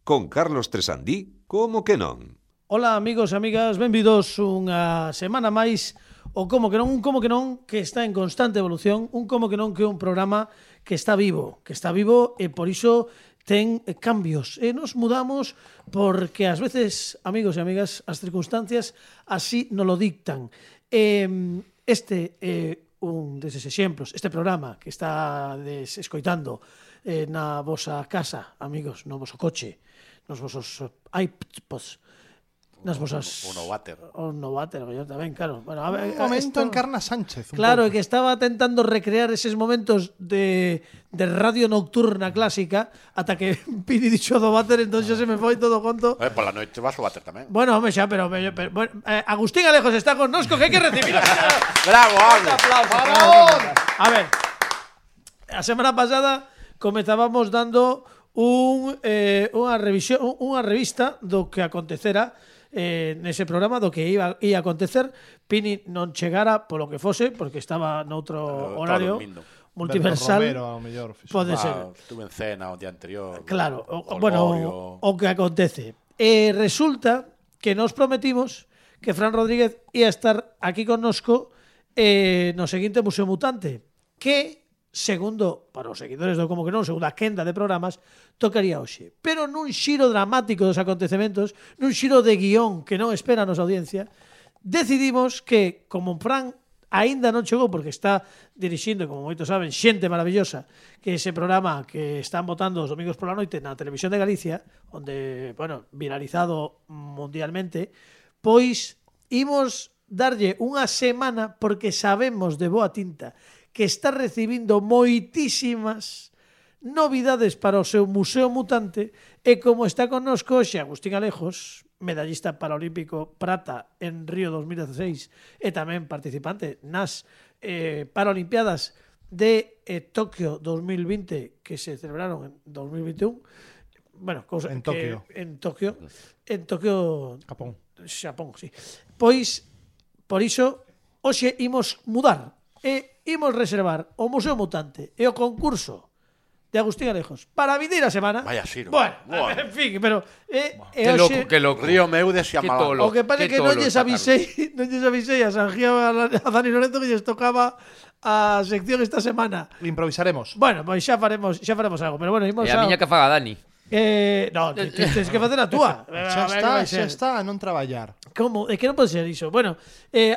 con Carlos Tresandí, como que non? Ola amigos e amigas, benvidos unha semana máis o Como que non que está en constante evolución, un Como que non que é un programa que está vivo e por iso ten cambios e nos mudamos porque ás veces, amigos e amigas, as circunstancias así nos lo dictan. Este é un deses exemplos, este programa que está escoitando na vosa casa, amigos, no voso coche, nos vosos iPods, nas vosas... O Novater. O Novater, yo tamén, claro. Bueno, a ver, un momento Encarna Sánchez. Claro, é que estaba tentando recrear eses momentos de radio nocturna clásica ata que Pini dixo do váter, entón xa se me foi todo conto. Pola noite vas ao váter tamén. Bueno, home, xa, pero bueno, Agustín Alejos está con nosco, que hai que recibir. Bravo, Un aplauso. A ver, a semana pasada comezábamos dando unha revista do que acontecera nese programa, do que ia acontecer. Pini non chegara polo que fose, porque estaba noutro horario multiversal. Pode ser. Estuve en cena o día anterior. Claro, o que acontece. Resulta que nos prometimos que Fran Rodríguez ia estar aquí connosco no seguinte Museo Mutante, que segundo, para os seguidores do Como que non, segundo a quenda de programas, tocaría hoxe. Pero nun xiro dramático dos acontecementos, nun xiro de guión que non espera a nosa audiencia, decidimos que, como Fran aínda non chegou porque está dirixindo, como moitos saben, Xente Maravillosa, que é ese programa que están botando os domingos pola noite na Televisión de Galicia, onde, bueno, viralizado mundialmente, pois imos darlle unha semana porque sabemos de boa tinta que está recibindo moitísimas novidades para o seu Museo Mutante e como está connosco hoxe Agustín Alejos, medallista paralímpico prata en Río 2016 e tamén participante nas Paralimpiadas de Tokio 2020 que se celebraron en 2021. Bueno, en Tokio. En Tokio, Xapón, sí. Pois, por iso, hoxe imos mudar e imos reservar o Museo Mutante e o concurso de Agustín Alejos para a vindeira semana. Vaya xiro. Bueno, en fin, pero que loco. Río meu de Xiamalán. O que pasa que non lles avisei a Sanjía a Dani Lorenzo que lles tocaba a sección esta semana. Improvisaremos. Bueno, pois xa faremos algo, pero bueno, imos e a miña que faga Dani. No, tens que facer a túa. Xa está a non traballar. Como? É que non pode ser iso. Bueno,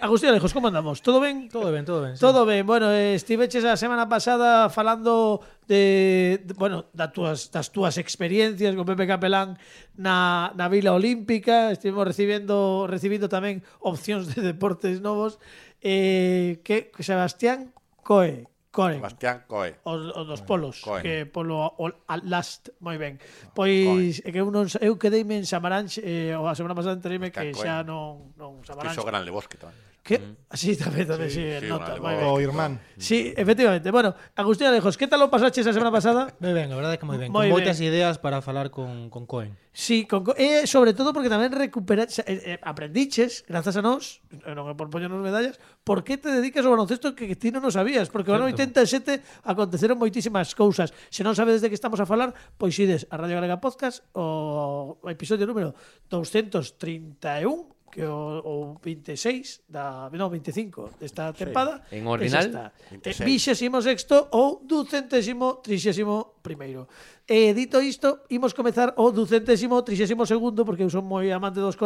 Agustín Alejos, como andamos? Todo ben? Todo ben. Sí. Todo ben. Bueno, estiveches a semana pasada falando das túas experiencias con Pepe Capelán na Vila Olímpica. Estivemos recibindo tamén opcións de deportes novos. Que Sebastián Coe. Sebastián Coe. O dos polos, Cohen. que polo last, moi ben. Pois é que eu quedeime en Samaranch, a semana pasada entereime que xa non Samaranch. Fixo Gran Lebosque tamén. Que? Sí, tamén, sí, nota, moi ben. O irmán. Sí, efectivamente. Bueno, Agustín Alejos, que tal o pasaches a semana pasada? Moi ben, a verdade é que moi ben. Moi Con moitas ben. ideas para falar con Cohen. Sí, sobre todo porque tamén aprendiches, grazas a nós, non é por poñernos medallas, por que te dedicas ao baloncesto que ti non o sabías, porque o ano 87 aconteceron moitísimas cousas. Se non sabes de que estamos a falar, pois ides a Radio Galega Podcast o episodio número 231, que o 26 25 desta tempada, en ordinal 26º ou 231º. E dito isto, imos comezar o 232º, porque eu son moi amante dos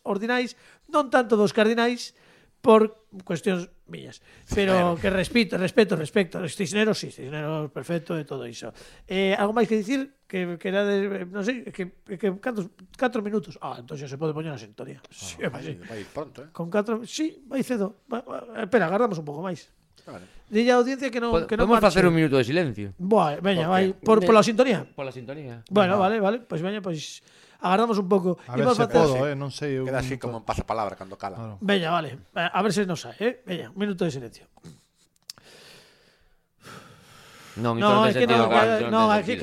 ordinais, non tanto dos cardinais, por cuestións miñas. Pero que respeto. Cisneros, sí, Cisneros perfecto e todo iso. Algo máis que dicir? Que era de, non sei, que 4 minutos. Entón xa se pode poñer a sintonía. Sí, vai pronto, Con 4, sí, vai cedo. Espera, agardamos un pouco máis. Vale. Dille a audiencia que non podemos facer un minuto de silencio. Veña, vai, pola sintonía. Pola sintonía. Bueno, vale, pois veña, pois agardamos un pouco. A ver se podo, non sei. Queda así como en pasapalabra cando cala. Claro. Veña, vale. A ver se nos sae, Veña, un minuto de silencio. Non, es que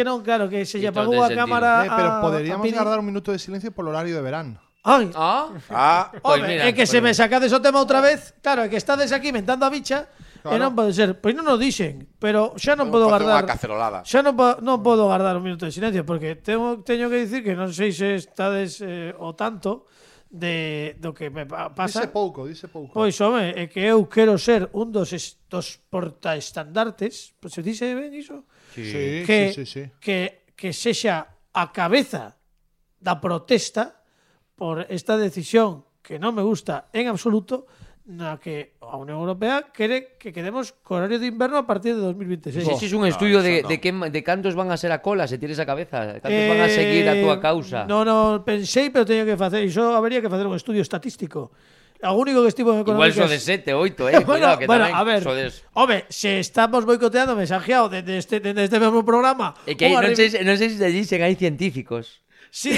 non, claro, que se lle apagou a cámara. Pero poderíamos guardar un minuto de silencio polo horario de verán. Ai. Pois mira, é que se me sacades o tema outra vez. Claro, é que estades aquí mentando a bicha. E non pode ser. Pois non o dixen, pero xa non podo Facer unha guardar. cacerolada. Xa non podo guardar un minuto de silencio porque teño que dicir que non sei se estades o tanto do que me pasa. Dice pouco. Pois, home, é que eu quero ser un dos portaestandartes, pois se dice ben iso, Sí. que sexa a cabeza da protesta por esta decisión que non me gusta en absoluto, na que a Unión Europea quere que quedemos co horario de inverno a partir de 2026. Si es un estudio eso de cantos van a ser a cola se tires a cabeza, cantos van a seguir a túa causa. No, pensei, pero teño que facer, iso habería que facer un estudio estatístico. O único que estivo en Igual económicas... so de 7, 8, cuidado, que bueno, tamén a ver, sodes... home, se estamos boicoteando mensajeado desde este mesmo programa... É que unha non sei se te dicen hai científicos Sí.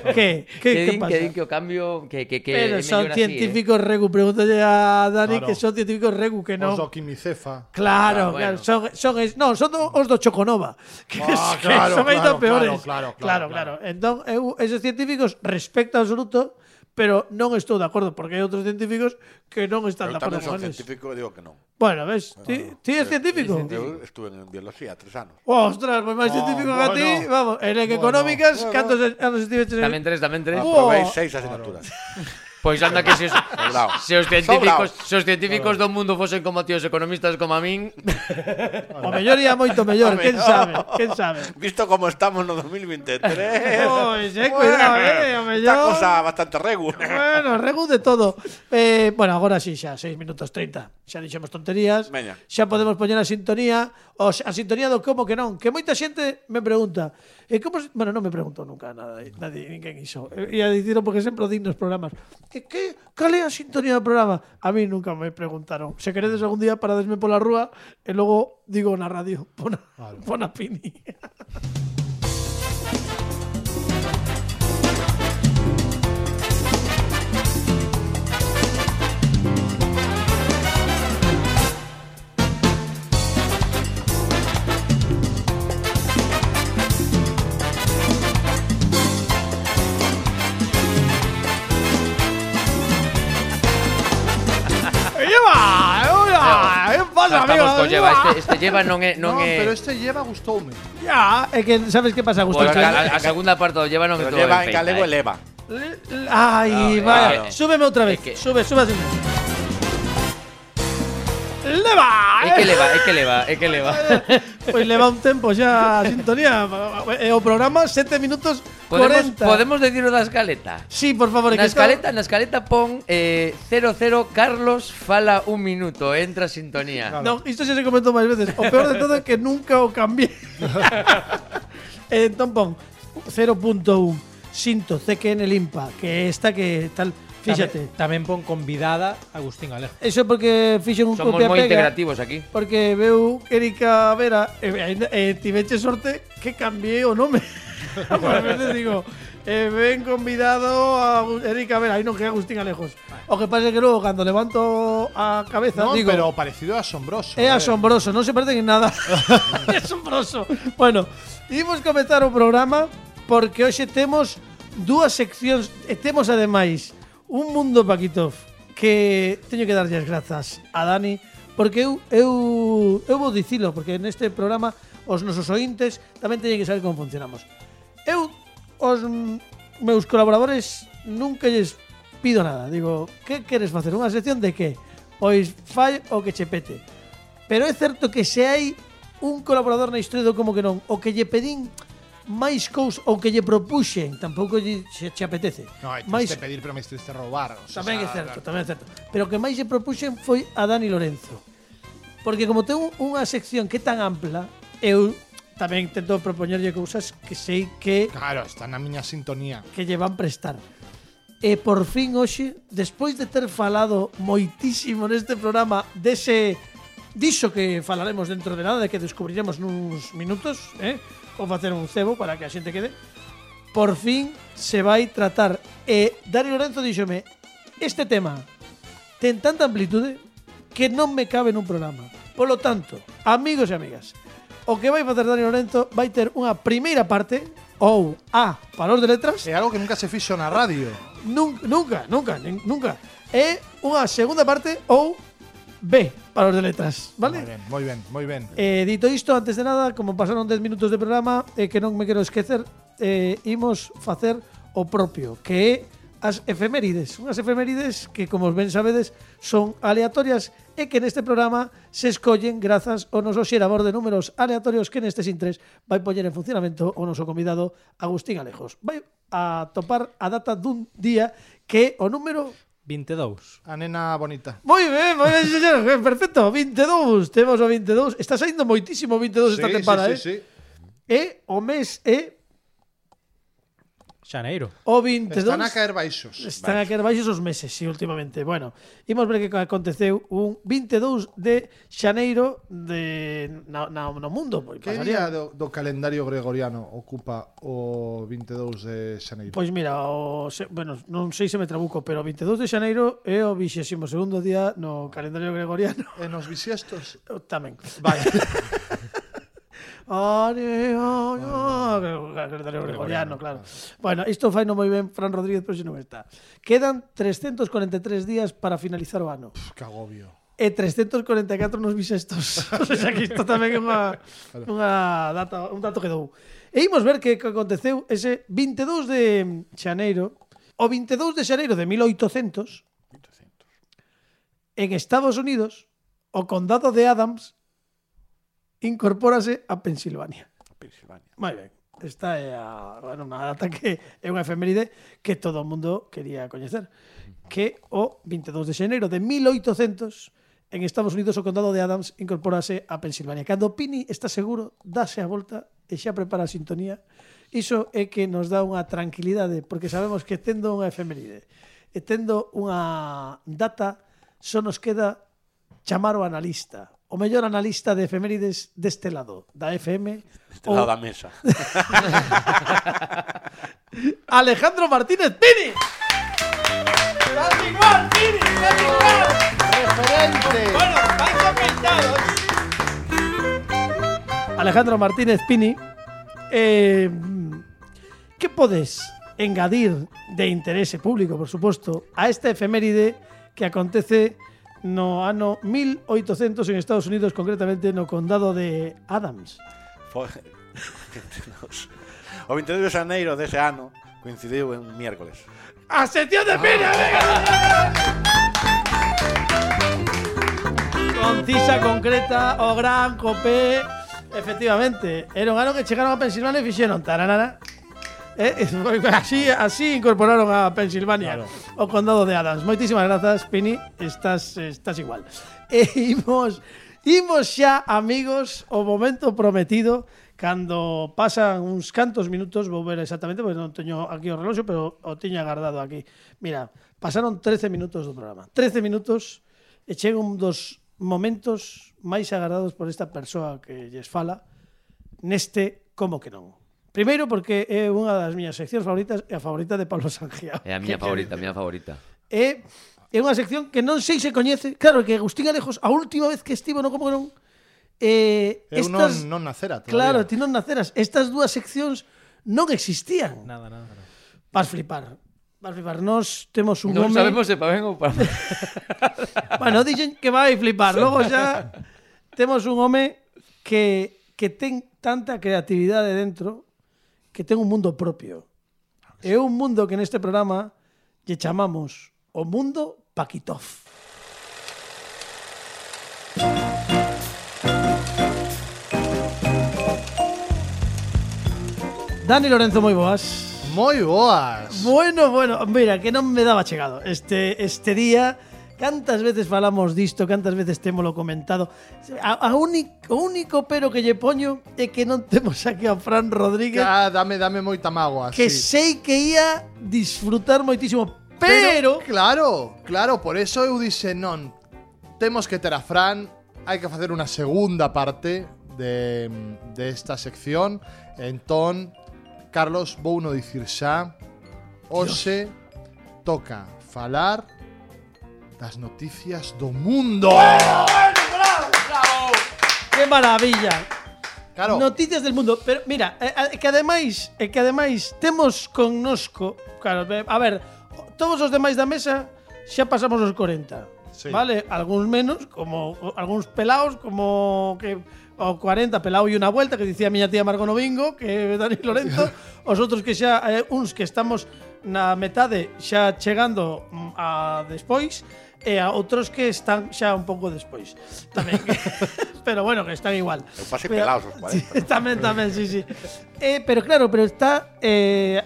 ¿Qué pasa? Que din que o cambio que Pero é son mellor científicos regu. Pregúntale a Dani Claro. que son científicos regu, que non. Os do quimicefa. Claro, bueno. claro. Son os do Choconova. Que claro, son aí tan peores. claro. Entón, eu, esos científicos respecto absoluto, pero non estou de acordo, porque hai outros científicos que non están Eu de acordo tamén son con eles. científico e digo que non. Bueno, ves, ti és científico? Eu estuve en biología 3 anos. Ostras, pues máis científico que a ti. bueno. Vamos, en económicas, cantos anos estiveches en... Tamén 3. Aprobei 6 asignaturas. Pois anda que Sobrao. se os científicos do mundo fosen como tíos economistas como a min, O mellor ia moito mellor, quen sabe. Visto como estamos no 2023. Pois, cuidado, o mellor. Esta cosa bastante regu. Bueno, regu de todo. Bueno, agora sí, xa 6 minutos 30. Xa dixemos tonterías. Veña. Xa podemos poñer a sintonía, a sintonía do como que non, que moita xente me pregunta. Bueno, non me preguntou nunca nadie, ninguén iso. Ia dicirlo porque sempre o din nos programas. Cal é a sintonía do programa? A mí nunca me preguntaron. Se queredes algún día paradesme pola rúa e logo digo na radio, pon a Pini. ¿Qué pasa, amigo? estamos co lleva, este lleva non é Pero este lleva gustoume. Ya, é que sabes que pasa, Pois Gustavo. a segunda parte do lleva non Pero estou lleva ben en galego feita, eleva. Ay, No, vaya. claro. Súbeme outra vez. que- Sube así. ¡Leva! É que leva. Pois leva un tempo xa a sintonía. E o programa 7 minutos 40. Podemos decir o da escaleta. Sí, por favor. Na escaleta pon 00 Carlos fala un minuto, entra sintonía. No, isto xa se comentou máis veces. O peor de todo é que nunca o cambié. Entón pon 0.1 Sinto CQN Limpa, que esta que tal. Fíxate. Tamén pon convidada Agustín Alejo. Eso é porque fixen un Somos copia moi pega. integrativos aquí. Porque veu Erika Vera tiveche sorte que cambié o nome. A veces digo, ven convidado a Erika Vera, aí non que é Agustín Alejos. O que pasa é que logo cando levanto a cabeza No, digo, pero parecido a asombroso. é asombroso, non se parecen en nada. É asombroso. Bueno, imos comezar o programa porque hoxe temos dúas seccións e temos ademais un mundo Paquitov que teño que darlle as grazas a Dani porque eu vou dicilo porque neste programa os nosos ointes tamén teñen que saber como funcionamos. Eu os meus colaboradores nunca lles pido nada. Digo, que queres facer? Unha sección de que? Pois fai o que che pete. Pero é certo que se hai un colaborador na historia do como que non, o que lle pedín máis cousas ou que lle propuxen, tampouco lle se apetece. No, hay máis que pedir, pero me hiciste robar. O sea, tamén é certo. Pero o que máis lle propuxen foi a Dani Lorenzo. Porque como ten unha sección que é tan ampla, eu tamén tento propoñerlle cousas que sei que Claro, está na miña sintonía. lle van prestar. E por fin hoxe, despois de ter falado moitísimo neste programa diso que falaremos dentro de nada, de que descubriremos nuns minutos, ou facer un cebo para que a xente quede, por fin se vai tratar. E Dani Lorenzo díxome, este tema ten tanta amplitude que non me cabe nun programa. Polo tanto, amigos e amigas, o que vai facer Dani Lorenzo vai ter unha primeira parte, ou A, para os de letras, É algo que nunca se fixo na radio. Nunca. É unha segunda parte ou B para os de letras, vale? Moi ben. Dito isto, antes de nada, como pasaron 10 minutos de programa, que non me quero esquecer, imos facer o propio, que é as efemérides. Unhas efemérides que, como ben sabedes, son aleatorias e que neste programa se escollen grazas ao noso xerador de números aleatorios que neste Sin3 vai poñer en funcionamento o noso convidado Agustín Alejos. Vai a topar a data dun día que é o número 22. A nena bonita. moi ben, señor, perfecto, 22, temos o 22, está saindo moitísimo 22 esta temporada, sí. E o mes é Xaneiro. o 22. Están a caer baixos. Están a caer baixos os meses, sí, últimamente. Bueno, imos ver que aconteceu un 22 de xaneiro no mundo. Que día do calendario gregoriano ocupa o 22 de xaneiro? Pois mira, bueno, non sei se me trabuco, pero o 22 de xaneiro é o 22º día no calendario gregoriano. E nos bisiestos? Tamén. Vale. Calendario gregoriano, claro. Bueno, isto fai non moi ben Fran Rodríguez, pero se non está. Quedan 343 días para finalizar o ano. Que agobio. E 344 nos bisestos. O sea, que isto tamén é unha data, un dato que dou. E imos ver que aconteceu ese 22 de xaneiro. O 22 de xaneiro de 1800, en Estados Unidos, o condado de Adams incorpórase a Pensilvania. Moi ben. Esta é unha data que é unha efeméride que todo o mundo quería coñecer. Que o 22 de xaneiro de 1800 en Estados Unidos o condado de Adams incorpórase a Pensilvania. Cando Pini está seguro, dáse a volta e xa prepara a sintonía. Iso é que nos dá unha tranquilidade, porque sabemos que tendo unha efeméride e tendo unha data, só nos queda chamar o analista. O mellor analista de efemérides deste lado, da FM. Deste lado da mesa. Alejandro Martínez Pini. ¡Estás igual, Pini! ¡Estás igual! Referente. Bueno, vais afeitados. Alejandro Martínez Pini, que podes engadir de interese público, por suposto, a esta efeméride que acontece no ano 1800 en Estados Unidos, concretamente no condado de Adams? O 22 de xaneiro dese ano coincidiu en miércoles. ¡A sección de Pini! Concisa, concreta, o gran copé. Efectivamente, era un ano que chegaron a Pensilvania e fixeron taranana. Así incorporaron a Pensilvania, claro. O condado de Adams. Moitísimas grazas, Pini. Estás igual. Imos xa, amigos, o momento prometido. Cando pasan uns cantos minutos, vou ver exactamente, porque non teño aquí o reloxo, pero o tiña guardado aquí. Mira, pasaron 13 minutos do programa. 13 minutos e chega un dos momentos máis agardados por esta persoa que lles fala neste Como que non. Primeiro porque é unha das miñas seccións favoritas e a favorita de Pablo Sangiao. É a miña favorita, a miña favorita. É unha sección que non sei se coñece. Claro, que Agustín Alejos, a última vez que estivo no Como que non, eu non nacera todavía. Claro, ti non naceras. Estas dúas seccións non existían. Nada. Vas flipar. Nos temos un Non home... sabemos se pa ben ou pa mal. Bueno, dixen que vai flipar. Logo xa temos un home que ten tanta creatividade dentro que ten un mundo propio. É un mundo que neste programa lle chamamos o mundo Paquitov. Dani Lorenzo, moi boas. Moi boas. Bueno, mira, que non me daba chegado este día. Cantas veces falamos disto, cantas veces témolo comentado. O único pero que lle poño é que non temos aquí a Fran Rodríguez. Dame moita mágoa. Que sí. sei que ia disfrutar moitísimo, pero claro, por eso eu dixe non. Temos que ter a Fran, hai que facer unha segunda parte de esta sección. Entón, Carlos, vou no dicir xa. Hoxe toca falar das noticias do mundo. ¡Bravo! ¡Qué maravilla! Claro. Noticias del mundo. Pero mira, que ademais temos connosco, claro, a ver, todos os demais da mesa xa pasamos os 40. Sí. Vale, algúns menos, como algúns pelaos, como que o 40 pelao e unha vuelta, que dicía a miña tía Margot Novingo, que é Dani Lorenzo, os outros que xa, uns que estamos na metade xa chegando a despois, e a outros que están xa un pouco despois. Tamén. Pero bueno, que están igual. Eu pasei pelaos os 40. Sí, tamén, sí. Pero claro, pero está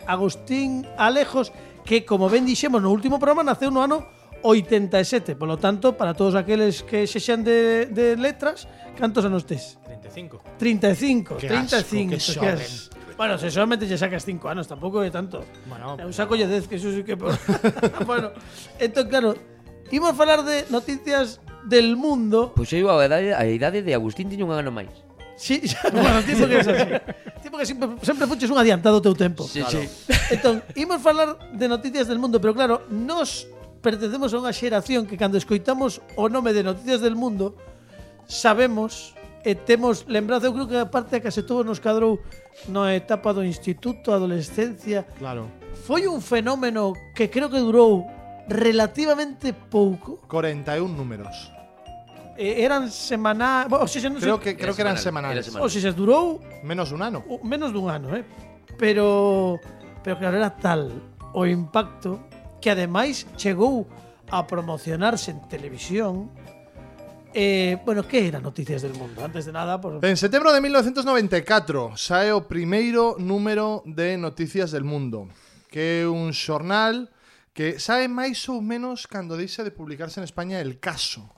Agustín Alejos, que como ben dixemos no último programa, naceu no ano 87. Por lo tanto, para todos aqueles que sexan de letras, cantos anos tes? 35. 35. Qué 35. asco, qué Bueno, se solamente lle sacas 5 anos, tampouco é tanto. Bueno, Eu saco lle 10, que eso sí que... Bueno, entón, claro, imos falar de noticias del mundo. Pois eu a idade de Agustín tiña un ano máis. Sí, bueno, tipo que é así. Tipo que sempre fuches un adiantado ao teu tempo. Sí, sí. Entón, imos falar de noticias del mundo, pero claro, nos pertencemos a unha xeración que cando escoitamos o nome de Noticias del Mundo sabemos e temos lembranza, eu creo que a parte a case todo nos cadrou na etapa do instituto, adolescencia. Claro. Foi un fenómeno que creo que durou relativamente pouco. 41 números. Eran semanais, o sea, non sei, Creo que eran semanales. o sea, durou Menos de un ano. menos dun ano, pero claro, era tal o impacto que ademais chegou a promocionarse en televisión. Bueno, que era Noticias del Mundo? Antes de nada, por... En setembro de 1994 sae o primeiro número de Noticias del Mundo, que é un xornal que sae máis ou menos cando deixa de publicarse en España El Caso,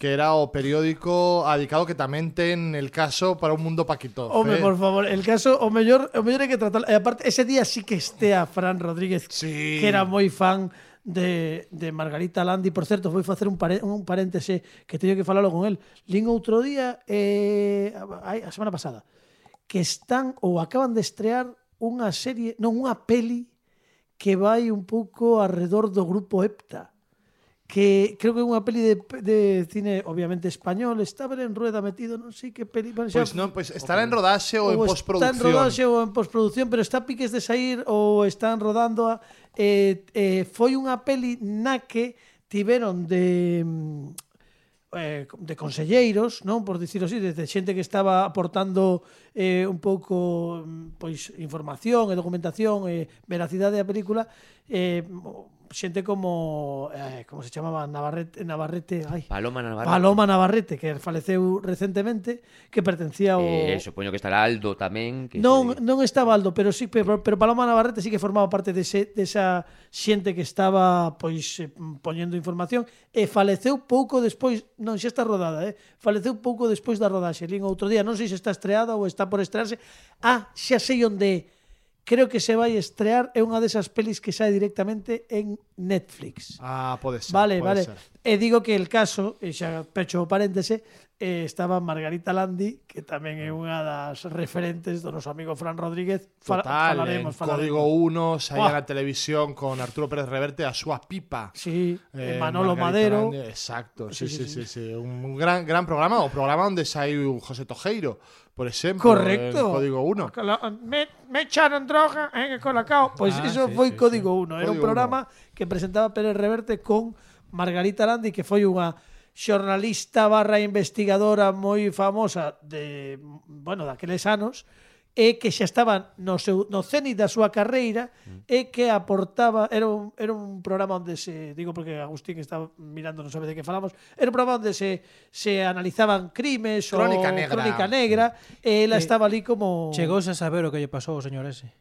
que era o periódico adicado que tamén ten El Caso para un mundo paquito. Home, por favor, El Caso, o mellor hai que tratar. E aparte, ese día sí que estea Fran Rodríguez, Sí. que era moi fan de Margarita Landi. Por certo, foi facer un paréntese que teño que falalo con él. Lín outro día, a semana pasada, que están ou acaban de estrear unha serie, non, unha peli que vai un pouco alrededor do grupo EPTA, que creo que é unha peli de cine obviamente español. Estaba en rueda metido, non sei que peli, bueno, Pois non, pois estará en rodaxe ou en postproducción. Está en rodaxe ou en postproducción, pero está a piques de sair ou están rodando a, foi unha peli na que tiveron de conselleiros, non, por dicirlo así, de xente que estaba aportando un pouco pois información e documentación e veracidade da película, xente como como se chamaba, Navarrete, Paloma Navarrete, que faleceu recentemente, que pertencía ao supoño que estará Aldo tamén, que non estaba Aldo, pero sí, pero Paloma Navarrete sí que formaba parte desa xente que estaba pois poñendo información, e faleceu pouco despois, non, xa está rodada, faleceu pouco despois da rodaxe. Lín outro día, non sei se está estreada ou está por estrearse. Xa sei onde creo que se vai estrear, é unha desas pelis que sae directamente en Netflix. Pode ser. Vale. Ser. E digo que El Caso, e xa pecho o paréntese, estaba Margarita Landi, que tamén é unha das referentes do noso amigo Fran Rodríguez. Falaremos. Código 1, saía na televisión con Arturo Pérez Reverte, a súa pipa. Sí, Manolo Madero. Landi, exacto, sí. Un gran programa, o programa onde saiu José Tojeiro, por exemplo, correcto. en Código 1. Me echaron droga en Colacao. Pois iso foi Código 1. Era un programa que presentaba Pérez Reverte con Margarita Landi, que foi unha xornalista / investigadora moi famosa daqueles anos, e que xa estaba no cénit da súa carreira, e que aportaba, era un programa onde digo porque Agustín estaba mirando, non sabe de que falamos, era un programa onde se analizaban crimes Crónica negra, e ela estaba ali como... Chegouse a saber o que lle pasou ao señor ese.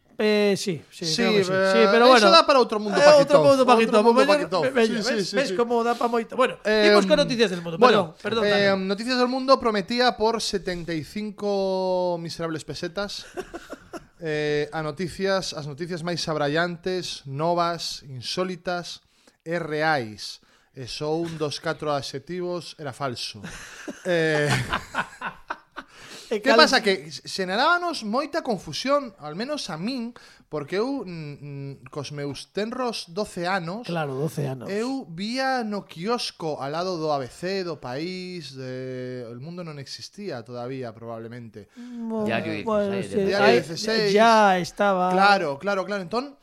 Sí, Sí, pero bueno. Eso dá para outro mundo paquito. Ves como dá para moito. Bueno, imos con Noticias del Mundo. Perdón. Noticias del Mundo prometía por 75 miserables pesetas as noticias máis abrallantes, novas, insólitas e reais. E só un dos 4 adxetivos era falso. Que pasa? Que xenerábanos moita confusión, al menos a min, porque eu cos meus tenros 12 anos, claro, 12 anos, eu vía no quiosco al lado do ABC, do País, El Mundo non existía todavía, probablemente. Diario 16. Diario 16. Ya estaba. Claro. Entón,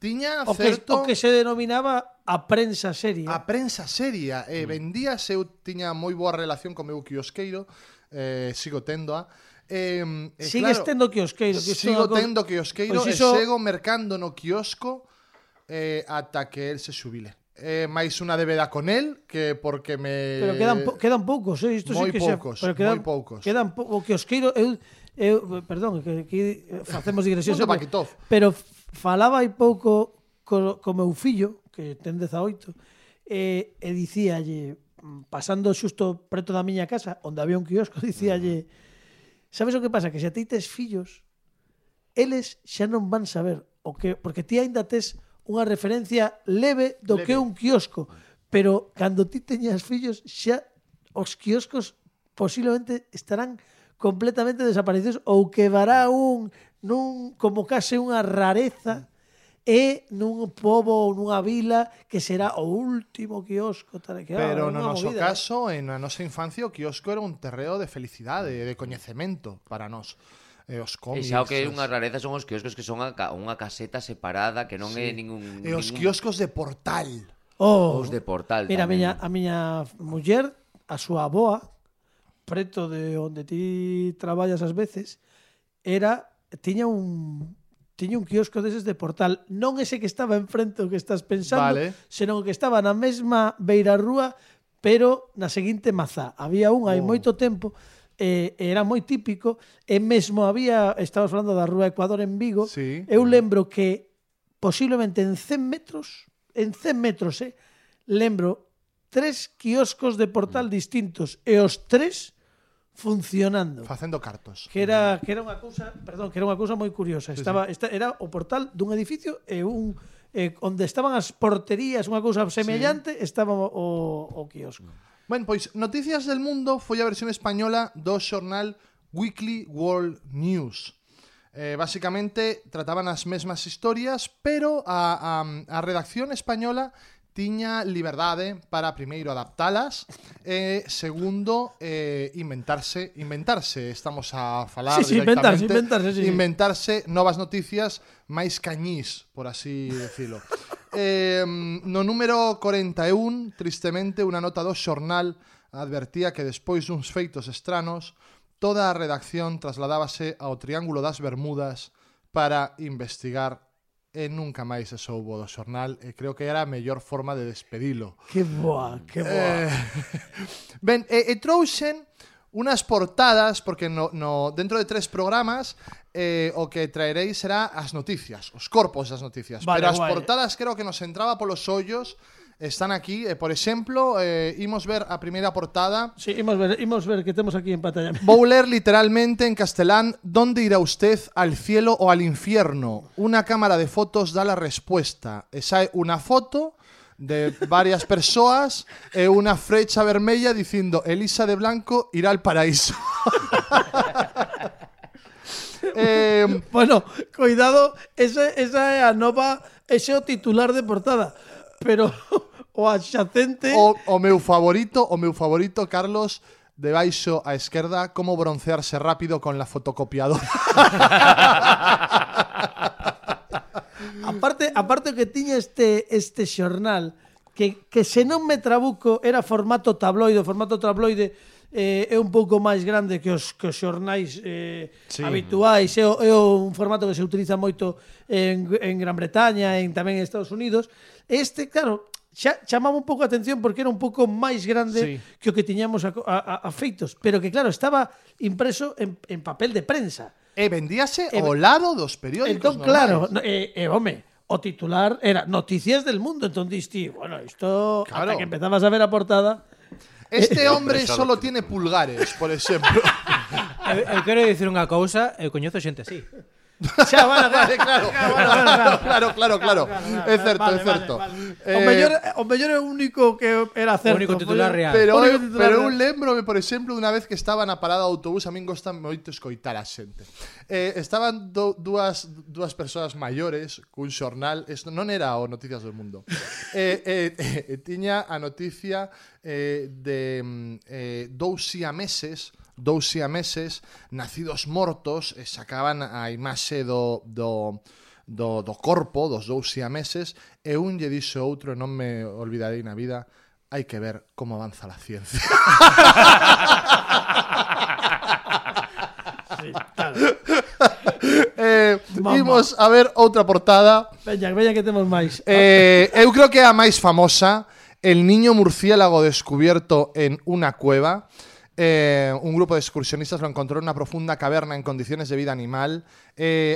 Tiña O certo... que se denominaba a prensa seria. A prensa seria. Vendíase, eu tiña moi boa relación co meu quiosqueiro, sigo téndoa. Sigues tendo quiosqueiro. Que Sigo tendo quiosqueiro Pois e iso- sigo mercando no quiosco ata que el se xubile. Mais unha débeda con el que porque me... Pero quedan poucos, Isto moi sí que poucos, pero quedan, moi poucos. O quiosqueiro... Perdón, que aquí facemos digresións. Punto Paquitov. Pero falaba hai pouco co meu fillo, que ten 18, e dicíalle, pasando xusto preto da miña casa, onde había un quiosco, dicíalle, sabes o que pasa? Que se a ti tes fillos, eles xa non van saber o que, porque ti aínda tes unha referencia leve do que é un quiosco, pero cando ti teñas fillos xa os quioscos posiblemente estarán completamente desaparecidos ou quedará nun como case unha rareza e nun pobo ou nunha vila que será o último quiosco tal, que, Pero é no unha noso movida, caso, en a nosa infancia, o quiosco era un terreo de felicidade, de coñecemento para nós. Os E cómics. xa o que é unha rareza son os quioscos que son unha caseta separada, que non é ningún... E os quioscos de portal. Oh, Os de portal mira, tamén. a miña muller, a súa aboa, preto de onde ti traballas ás veces, tiña un quiosco deses de portal, non ese que estaba enfrente o que estás pensando, Vale. senón o que estaba na mesma beirarrúa, pero na seguinte mazá. Había un hai moito tempo, era moi típico, e mesmo estabas falando da Rúa Ecuador en Vigo, Sí. eu lembro que posiblemente en 100 metros, lembro 3 quioscos de portal distintos e os 3 funcionando. Facendo cartos. Que era unha cousa moi curiosa. Era o portal dun edificio e onde estaban as porterías, unha cousa semellante, estaba o quiosco. Ben, pois Noticias del Mundo foi a versión española do xornal Weekly World News. Basicamente trataban as mesmas historias, pero a redacción española tiña liberdade para primeiro adaptalas e segundo inventarse, estamos a falar directamente, inventarse novas noticias máis cañís, por así decirlo. No número 41, tristemente, unha nota do xornal advertía que despois duns feitos estranos, toda a redacción trasladábase ao Triángulo das Bermudas para investigar e nunca máis se soubo do xornal e creo que era a mellor forma de despedilo. Que boa. Ben, trouxen unas portadas, porque dentro de 3 programas o que traeréis será as noticias, os corpos das noticias. Vale, pero as guai. portadas creo que nos entraba polos ollos, están aquí. Por exemplo, imos ver a primeira portada. Sí, imos ver que temos aquí en pantalla. Vou ler literalmente en castelán: ¿dónde irá usted, al cielo o al infierno? Una cámara de fotos da la respuesta. E sae unha foto de varias persoas e unha frecha vermella dicindo Elisa de Blanco irá al paraíso. Bueno, cuidado, esa é a nova, ese é o titular de portada, pero o adxacente... O meu favorito, Carlos, debaixo á esquerda, como broncearse rápido con la fotocopiadora. Aparte que tiña este xornal que se non me trabuco era formato tabloide. O formato tabloide é un pouco máis grande que os xornais habituais. É un formato que se utiliza moito en Gran Bretaña e tamén en Estados Unidos. Este, claro, chamaba un pouco a atención porque era un pouco máis grande que o que tiñamos a feitos, pero que claro, estaba impreso en papel de prensa. E vendíase ao lado dos periódicos. Entón, claro, home, o titular era Noticias del Mundo. Entón diste, bueno, isto, claro, hasta que empezabas a ver a portada. Este hombre solo tiene pulgares, por exemplo. Eu quero dicir unha cousa, eu coñezo xente así. Xa, bueno, claro. É certo. O mellor é o único que era certo. O único titular real. Pero eu lembrome, por exemplo, unha vez que estaba na parada do autobús, a min gosta moito escoitar a xente. Estaban dúas persoas maiores cun xornal, isto non era o Noticias do Mundo. Tiña a noticia de 2 siameses nacidos mortos, e sacaban a imaxe do do corpo dos dous siameses, e un lle dixo outro, e non me olvidarei na vida, hai que ver como avanza la ciencia. Imos a ver outra portada. Veña que temos máis. Eu creo que é a máis famosa, el niño murciélago descubierto en una cueva. Un grupo de excursionistas lo encontró en una profunda caverna en condiciones de vida animal.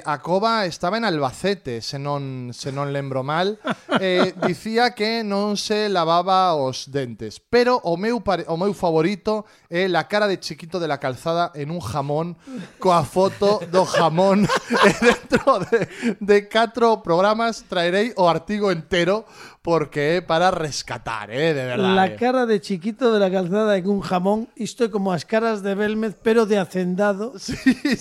A cova estaba en Albacete, se non lembro mal. Dicía que non se lavaba os dentes. Pero o meu favorito é la cara de Chiquito de la Calzada en un jamón, coa foto do jamón. E dentro de 4 programas traerei o artigo entero, porque é para rescatar, de verdade. La cara de Chiquito de la Calzada en un jamón, isto é como as caras de Belmez, pero de hacendado,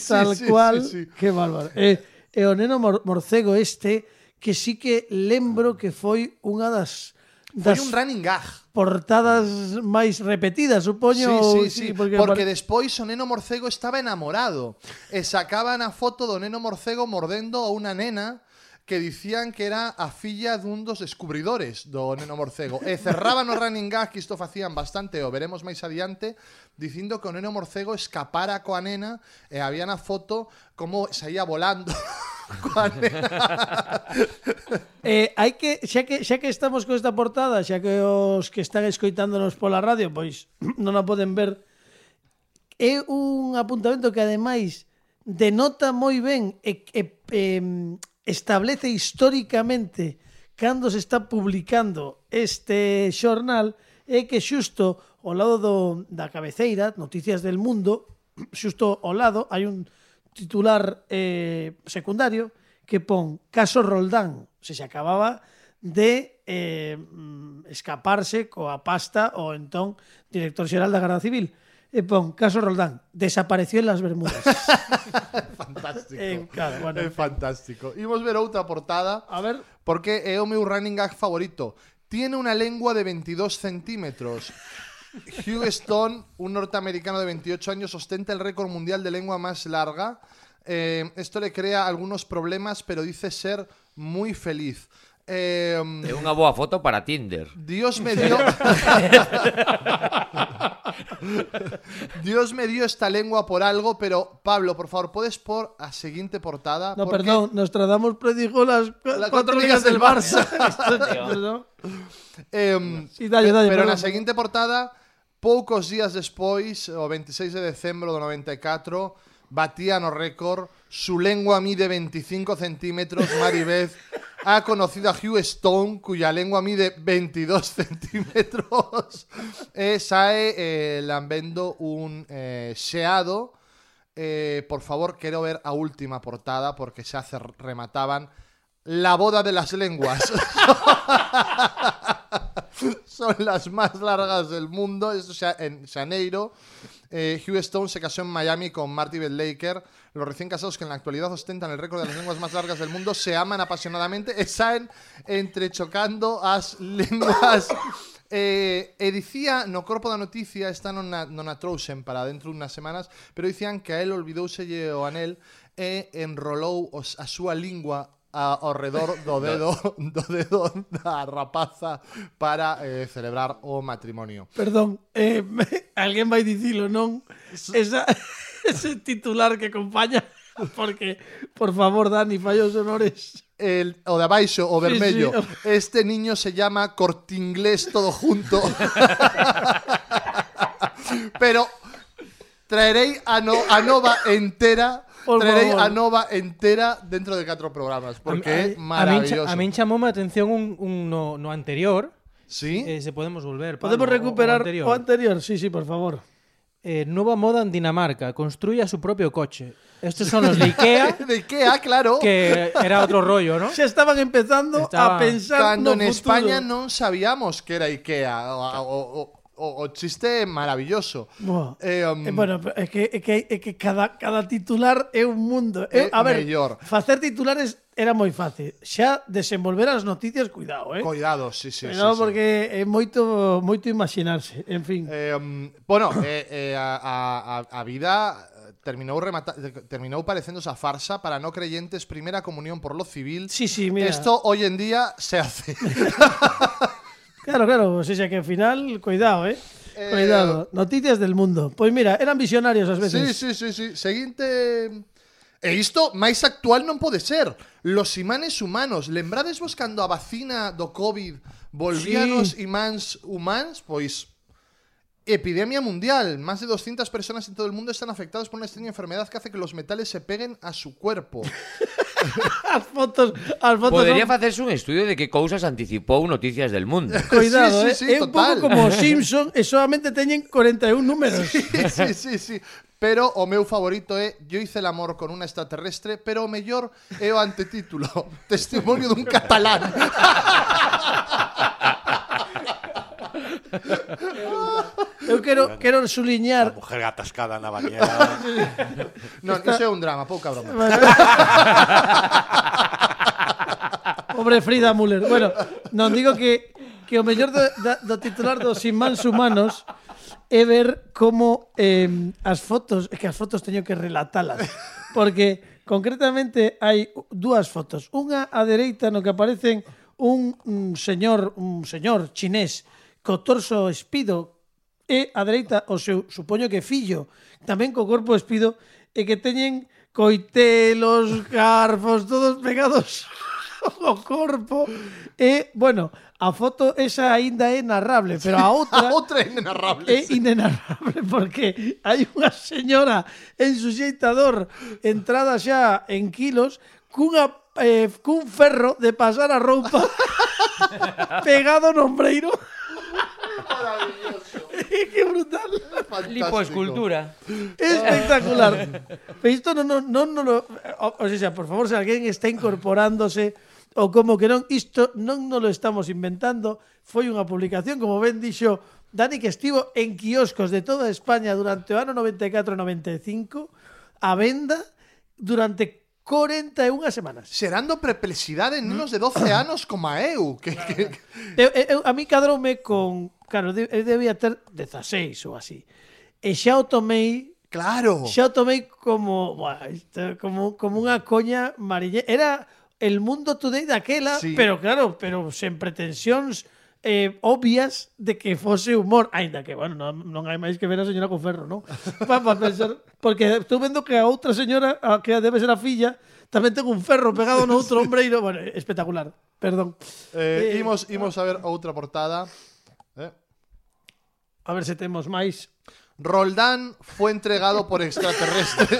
tal cual. Sí. Que bárbaro. E o neno morcego este, que sí que lembro que foi unha das Foi un running gag. portadas máis repetidas, supoño. Sí, porque despois o neno morcego estaba enamorado e sacaban a foto do neno morcego mordendo a unha nena que dicían que era a filla dun dos descubridores do neno morcego. E cerraban o running gag, que isto facían bastante, o veremos máis adiante, dicindo que o neno morcego escapara coa nena e había na foto como saía volando coa nena. Hai que xa que estamos con esta portada, xa que os que están escoitándonos pola radio, pois non a poden ver, é un apuntamento que ademais denota moi ben establece históricamente cando se está publicando este xornal, é que xusto ao lado da cabeceira, Noticias del Mundo, xusto ao lado hai un titular secundario que pon Caso Roldán, se acababa de escaparse coa pasta o entón director xeral da Garda Civil. E pon Caso Roldán, desapareció en las Bermudas. Fantástico. Claro, bueno. É fantástico. Imos ver outra portada. A ver. Porque é o meu running gag favorito. Tiene una lengua de 22 centímetros. Hugh Stone, un norteamericano de 28 años, ostenta el récord mundial de lengua más larga. Esto le crea algunos problemas, pero dice ser muy feliz. É unha boa foto para Tinder. Dios me dio Dios me dio esta lengua por algo, pero Pablo, por favor, ¿puedes por a seguinte portada? No, porque perdón, Nostradamus predijo las 4 ligas del Barça. Perdón. Sí, dalle, pero na perdón. seguinte portada, poucos días despois, o 26 de decembro do 94, batían o récord, su lengua mide 25 centímetros, Maribeth ha conocido a Hugh Stone, cuya lengua mide 22 centímetros, sae lambendo un xeado. Por favor, quero ver a última portada, porque xa se remataban la boda de las lenguas. Son las más largas del mundo. Esto en Janeiro. Hugh Stone se casó en Miami con Marty Beth Laker. Los recién casados, que en la actualidad ostentan el récord de las lenguas más largas del mundo, se aman apasionadamente e saen entrechocando as lenguas. Dicía no corpo da noticia, esta non a trouxen para dentro de unas semanas, pero dicían que a él olvidouselle o anel e enrolou a súa lingua ao redor do dedo da rapaza para celebrar o matrimonio. Perdón, alguén vai dicilo, non? Ese titular que acompaña, porque, por favor, Dani, falla os honores. O de abaixo, o vermello. Sí. Este niño se llama Cortinglés todo junto. Pero traerei a nova entera. Traerei a nova entera dentro de 4 programas, porque é maravilloso. A min chamoume a atención un no anterior. ¿Sí? Se podemos volver, Pablo, Podemos recuperar o o anterior. Sí, por favor. Nueva moda en Dinamarca, construye su propio coche. Estos son los de Ikea. De Ikea, claro. Que era otro rollo, ¿no? Ya estaban empezando a pensar Cando no en futuro. España non sabíamos que era Ikea. O chiste maravilloso. Bueno, é que cada titular é un mundo. A ver, mellor. facer titulares era moi fácil. Xa desenvolver as noticias, cuidado, Cuidado, sí. Cuidado, porque é moito imaginarse. En fin. A vida terminou parecéndose a farsa para no creyentes, primera comunión por lo civil. Sí, mira. Esto hoy en día se hace. Claro, o sea que al final, cuidado, cuidado. Noticias del mundo. Pois mira, eran visionarios ás veces. Sí. Seguinte... E isto máis actual non pode ser. Los imanes humanos. Lembrades vos cando a vacina do COVID volvían os imáns humanos? Pois... Epidemia mundial. Más de 200 personas en todo el mundo están afectadas por una extraña enfermedad que hace que los metales se peguen a su cuerpo. As fotos Podría son... facerse un estudio de que cousas anticipou Noticias del Mundo. Cuidado, Sí, é un total. pouco como Simpson e solamente teñen 41 números. Sí. Pero o meu favorito é Yo hice el amor con una extraterrestre, pero o mellor é o antetítulo. Testimonio dun catalán. Eu quero suliñar. La mujer atascada na bañera. Non, iso é un drama, pouca broma. Pobre Frida Müller. Bueno, non digo que o mellor do titular dos Inmans Humanos é ver como as fotos, é que as fotos teño que relatalas, porque concretamente hai dúas fotos. Unha á dereita no que aparecen un señor chinés co torso espido e á dereita o seu, supoño que fillo, tamén co corpo espido e que teñen coitelos, garfos, todos pegados ao corpo. E, bueno, a foto esa aínda é narrable, pero a outra Outra é inenarrable. é inenarrable porque hai unha señora en suxeitador entrada xa en kilos cun ferro de pasar a roupa pegado no ombreiro. Maravilloso. Que brutal. Lipoescultura. Espectacular. Pero isto non lo... O sea, por favor, se alguén está incorporándose ou como que non, isto non nos lo estamos inventando, foi unha publicación, como ben dixo Dani, que estivo en quioscos de toda España durante o ano 94-95 a venda durante 41 semanas. Xerando perplexidade en nenos de 12 anos como a eu. A mí cadroume con... Claro, eu debía ter 16 ou así. E xa o tomei... Claro. Xa o tomei como... Como unha coña mariñera. Era el Mundo Today daquela, Sí. pero claro, sen pretensións obvias de que fose humor. Ainda que, bueno, non hai máis que ver a señora con ferro, non? Para pensar, porque estou vendo que a outra señora, a que debe ser a filla, tamén ten un ferro pegado no outro ombreiro. Bueno, espectacular. Perdón. Imos a ver outra portada. A ver se temos máis. Roldán fue entregado por extraterrestre.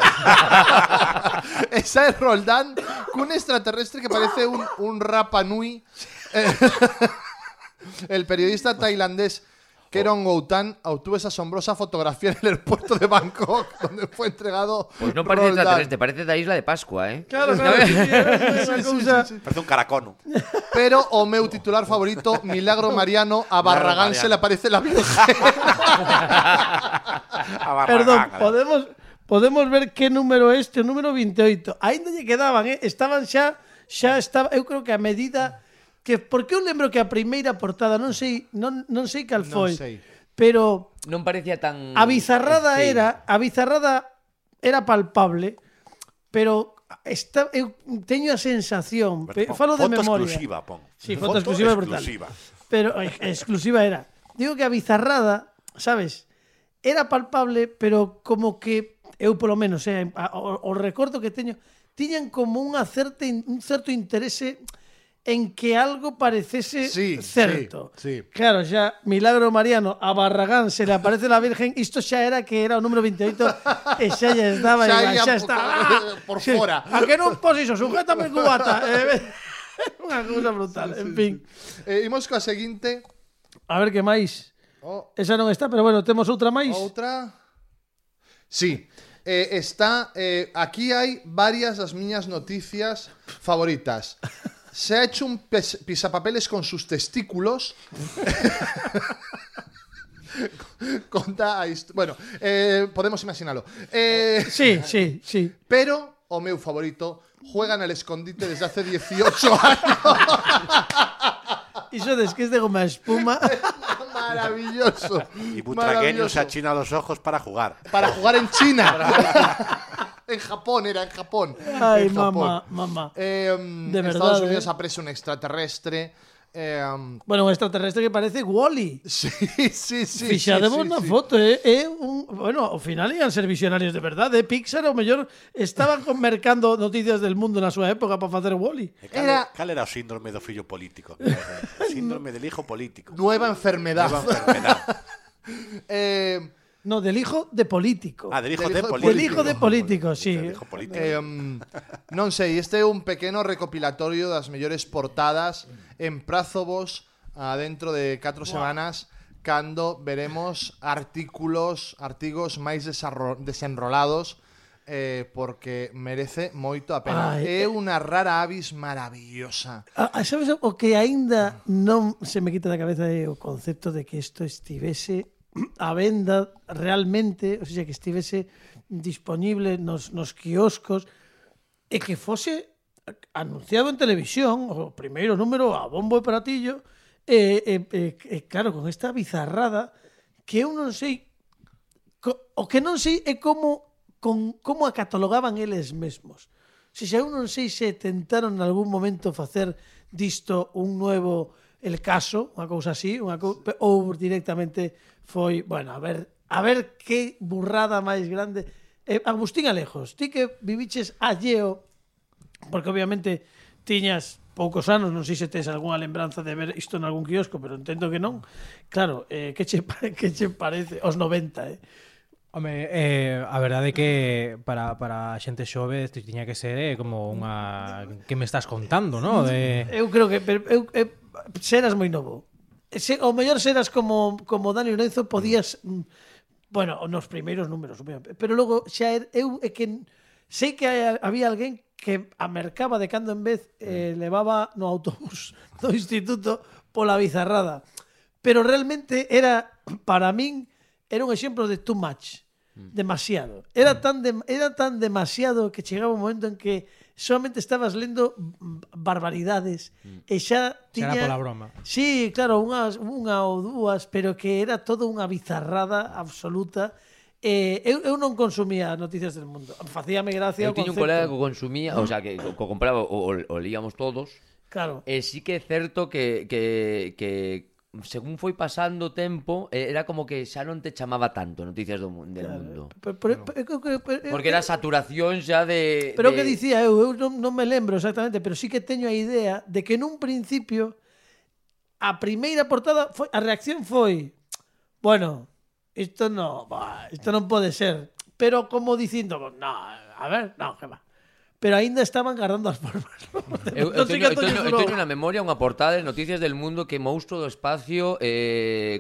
Esa es Roldán con un extraterrestre que parece un Rapa Nui. El periodista tailandés Kerong Goutan obtuvo esa asombrosa fotografía en el aeropuerto de Bangkok, donde fue entregado. Pues no parece Roldán. extraterrestre, parece da Isla de Pascua, ¿eh? Claro. Sí. Parece un caracono. Pero o meu titular favorito, Milagro Mariano, a Barragán se le aparece la Virgen. Perdón, podemos ver que número é este, o número 28. Ainda lle quedaban, estaban xa estaba, eu creo que a medida que, porque eu lembro que a primeira portada non sei cal foi, pero Non parecía tan... a bizarrada Sí. era palpable, pero eu teño a sensación, falo de Foto memoria. exclusiva, pon. Sí, foto exclusiva é brutal. Pero exclusiva era. Digo que a bizarrada, sabes, era palpable, pero como que eu polo menos, o recordo que teño, tiñan como un certo interese en que algo parecese certo. Sí. Claro, xa Milagro Mariano a Barragán se le aparece la Virgen, isto xa era que era o número 28 e xa lle estaba Xa xa está por fora. A que non pos iso, sujétame el cubata. Unha cousa brutal, en fin. Imos coa seguinte. A ver que máis. Oh, Esa non está, pero bueno, temos outra máis. outra. Sí. Está aquí hai varias das miñas noticias favoritas. Se ha hecho un pisapapeles con sus testículos. Conta a bueno, podemos imaginarlo. Sí. Pero o meu favorito, juegan al escondite desde hace 18 años. Iso des que es de goma espuma. Maravilloso. Y Butragueño se maravilloso. achina los ojos para jugar. Para jugar en China. En Japón, era en Japón. Ay, En Japón. mamá. De verdad, Estados Unidos aparece un extraterrestre. Bueno, un extraterrestre que parece Wall-E. Sí. Fixademos na foto, bueno, ao final ian ser visionarios de verdade. Pixar ao mellor estaban mercando noticias del mundo na súa época para facer Wall-E. Cal era o síndrome do fillo político? O síndrome del hijo político. Nueva enfermedad. Nueva enfermedad. No, del hijo de político. Ah, del hijo Del de hijo- político. Del hijo de político, sí. Del hijo político. Non sei, este é un pequeno recopilatorio das mellores portadas en prazovos dentro de 4 semanas cando veremos artigos máis desenrolados porque merece moito a pena. Ai, É unha rara avis maravillosa. Sabes o que aínda non se me quita da cabeza é o concepto de que isto estivese a venda realmente, ou seja, que estivese disponible nos quioscos e que fose anunciado en televisión, o primeiro número a bombo e pratillo, claro, con esta bizarrada que eu non sei o que non sei é como a catalogaban eles mesmos. Se xa eu non sei se tentaron en algún momento facer disto un nuevo El Caso, unha cousa así, ou directamente foi, bueno, a ver que burrada máis grande. Agustín Alejos, ti que viviches alleo, porque obviamente tiñas poucos anos, non sei se tes algunha lembranza de ver isto en algún quiosco, pero entendo que non. Claro, que che parece? Os 90, Home, a verdade é que para a xente xove isto tiña que ser como unha... Que me estás contando, no? Eu creo que seras moi novo. O mellor seras como Dani Lorenzo, podías bueno, nos primeiros números, pero logo xa eu é que sei que había alguén que a mercaba de cando en vez levaba no autobús do instituto pola bizarrada. Pero realmente era, para min, era un exemplo de too much. Demasiado. Era tan demasiado que chegaba un momento en que solamente estabas lendo barbaridades e xa tiña... Era pola broma. Sí, claro, unha ou dúas, pero que era todo unha bizarrada absoluta. Eu non consumía noticias del mundo. Facíame gracia o Eu tiño un concepto. colega que consumía, o sea, que compraba o líamos todos. Claro. E sí que é certo que según foi pasando o tempo, era como que xa non te chamaba tanto noticias del mundo. Porque era saturación xa de... Pero o que dicía eu non me lembro exactamente, pero sí que teño a idea de que nun principio a primeira portada a reacción foi, bueno, isto non pode ser, pero como dicindo, no, a ver, no, que va. Pero aínda estaban guardando as formas. Eu teño na memoria unha portada de Noticias del Mundo que monstruo do espacio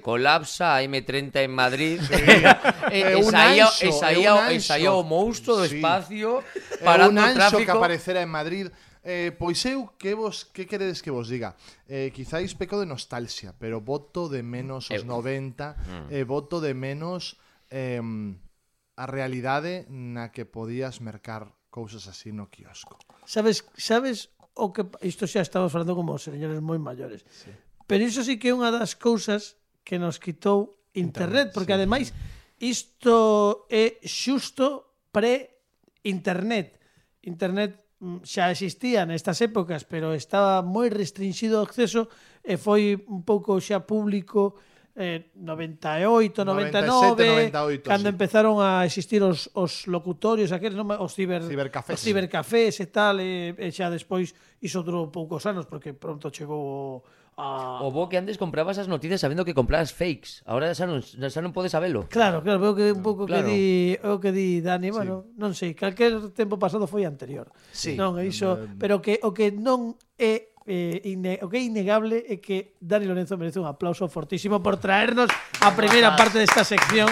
colapsa a M30 en Madrid. E saía o monstruo do espacio parando o un anxo tráfico. que aparecera en Madrid. Pois eu, que queredes que vos diga? Quizáis peco de nostalgia, pero voto de menos os 90, voto de menos a realidade na que podías mercar cousas así no quiosco. Sabes o que isto xa estamos falando como señores moi maiores. Sí. Pero iso sí que é unha das cousas que nos quitou internet, porque ademais isto é xusto pre-internet. Internet xa existía nestas épocas, pero estaba moi restringido o acceso e foi un pouco xa público 98, 99, 97, 98, cando empezaron a existir os locutorios, aqueles, os cibercafés e tal, e xa despois iso durou poucos anos, porque pronto chegou O bo que antes comprabas as noticias sabendo que comprabas fakes. Ahora xa non podes sabelo. Claro, veo que un pouco Claro. que di Dani, bueno, non sei, calquer tempo pasado foi anterior. Sí. Non, iso, pero que o que non é o que é innegable é que Dani Lorenzo merece un aplauso fortísimo por traernos a primeira parte desta sección.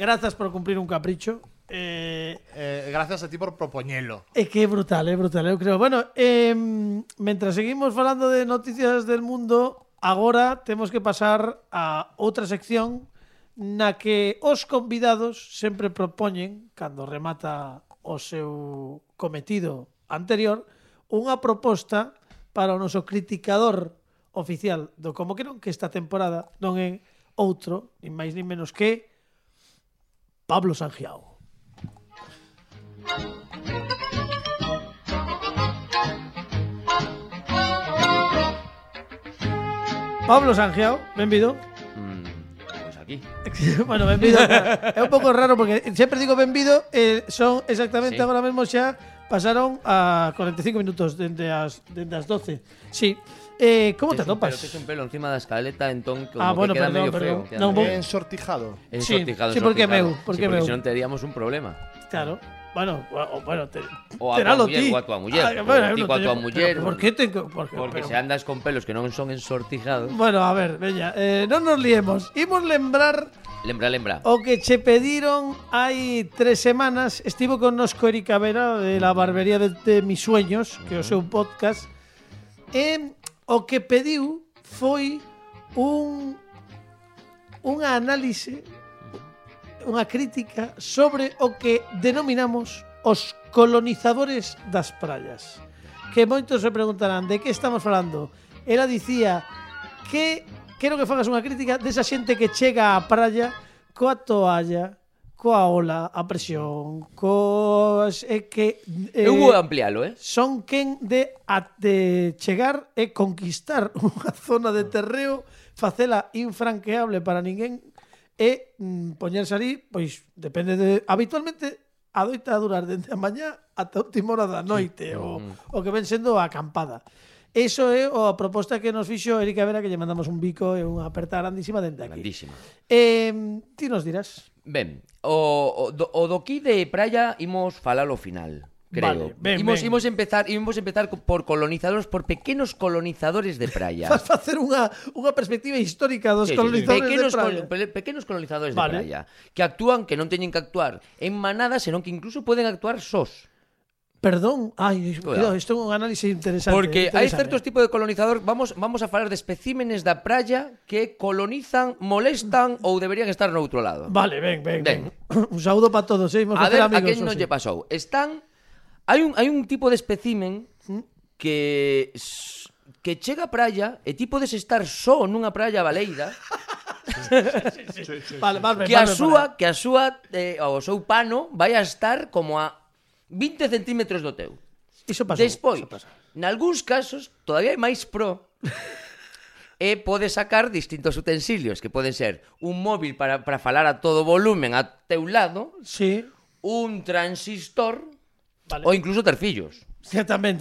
Grazas por cumplir un capricho. Gracias a ti por propoñelo. É que é brutal, eu creo. Bueno, mentras seguimos falando de noticias del mundo, agora temos que pasar a outra sección na que os convidados sempre propoñen, cando remata o seu cometido anterior, unha proposta para o noso criticador oficial do Como que non, que esta temporada non é outro, nin máis nin menos que Pablo Sangiao. Pablo Sangiao, benvido. Pues aquí. Bueno, benvido. É un pouco raro porque sempre digo benvido, son exactamente Sí. agora mesmo xa pasaron a 45 minutos dende as 12. Sí. Como te atopas? Pero que es un pelo encima da escaleta, entón como Bueno, que queda perdón, medio feo. perdón. Queda Non, medio- Ensortijado. Sí, ensortijado, sí, porque ensortijado. meu, porque Sí, meu. si non teríamos un problema. Claro. Bueno, O a teralo tua muller, ti. ou a tua muller, Ah, ou bueno, ti eu non coa tua teño- muller. pero ¿por qué tengo? Porque Se andas con pelos que non son ensortijados. Bueno, a ver, veña, non nos liemos. Imos lembrar Lembra. o que che pediron hai 3 semanas. Estivo con nosco Erika Vera de la barbería de mis sueños, que é o seu podcast. E o que pediu foi unha análise, unha crítica sobre o que denominamos os colonizadores das praias. Que moitos se preguntarán de que estamos falando. Ela dicía que quero que fagas unha crítica desa xente que chega á praia coa toalla, coa ola, a presión, cos que Eu vou amplialo, son quen de chegar e conquistar unha zona de terreo, facela infranqueable para ninguén e poñerse ali, pois depende de habitualmente adoita a durar dende a mañá ata a última hora da noite o que ven sendo a acampada. Eso é a proposta que nos fixo Erika Vera, que lle mandamos un bico e unha aperta grandísima dende aquí. Grandísima. Ti nos dirás. Ben, o do aquí de praia imos falar ao final, creo. Vale, ben, imos ben. empezar por colonizadores, por pequenos colonizadores de praia. Vas facer unha perspectiva histórica dos colonizadores de praia. Pequenos colonizadores Vale. de praia que actúan, que non teñen que actuar en manada, senón que incluso poden actuar sós. Perdón, cuidado, isto é un análisis interesante. Porque hai interesante. certos tipos de colonizador, vamos a falar de especímenes da praia que colonizan, molestan ou deberían estar no outro lado. Vale, ben. Un saúdo para todos, imos A facer ver, amigos. a quen non lle pasou. Hai un tipo de especímen que chega á praia e ti podes estar só nunha praia baleira Vale, que a súa o seu pano vai a estar como a 20 centímetros do teu. Iso pasou. Despois, nalgúns casos, todavía é máis pro e pode sacar distintos utensilios que poden ser un móvil para falar a todo volumen a teu lado, Sí. un transistor, Vale. ou incluso ter fillos, Que tamén.